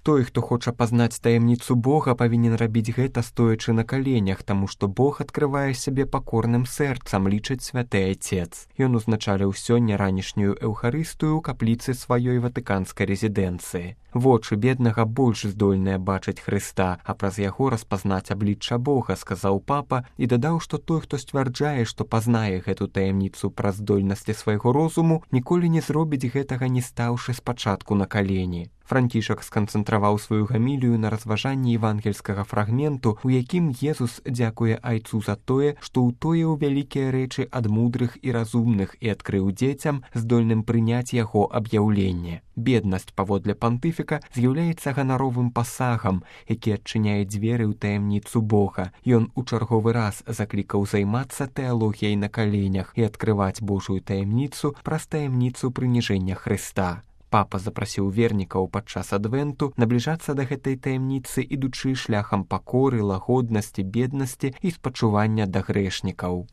Той, хто хоча пазнаць таямніцу Бога, павінен рабіць гэта стоячы на каленях, таму што Бог адкрывае сябе пакорным сэрцам, лічыць святы Айцец. Ён узначаліў сёння ранішнюю эўхарыстыю ў капліцы сваёй ватыканскай рэзідэнцыі. Вочы беднага больш здольныя бачыць Хрыста, а праз яго распазнаць аблічча Бога, сказаў папа, і дадаў, што той, хто сцвярджае, што пазнае гэту таямніцу праз здольнасці свайго розуму, ніколі не зробіць гэтага, не стаўшы спачатку на калені. Францішак сканцэнтраваў сваю гамілію на разважанні евангельскага фрагменту, у якім Езус дзякуе Айцу за тое, што ўтоіў вялікія рэчы ад мудрых і разумных і адкрыў дзецям, здольным прыняць яго аб'яўленне. Беднасць, паводле пантыфіка, з'яўляецца ганаровым пасагам, які адчыняе дзверы ў таямніцу Бога. Ён у чарговы раз заклікаў займацца тэалогіяй на каленях і адкрываць Божую таямніцу праз таямніцу прыніжэння Хрыста. Папа запрасіў вернікаў падчас адвенту набліжацца да гэтай таямніцы, ідучы шляхам пакоры, лагоднасці, беднасці і спачування да грэшнікаў.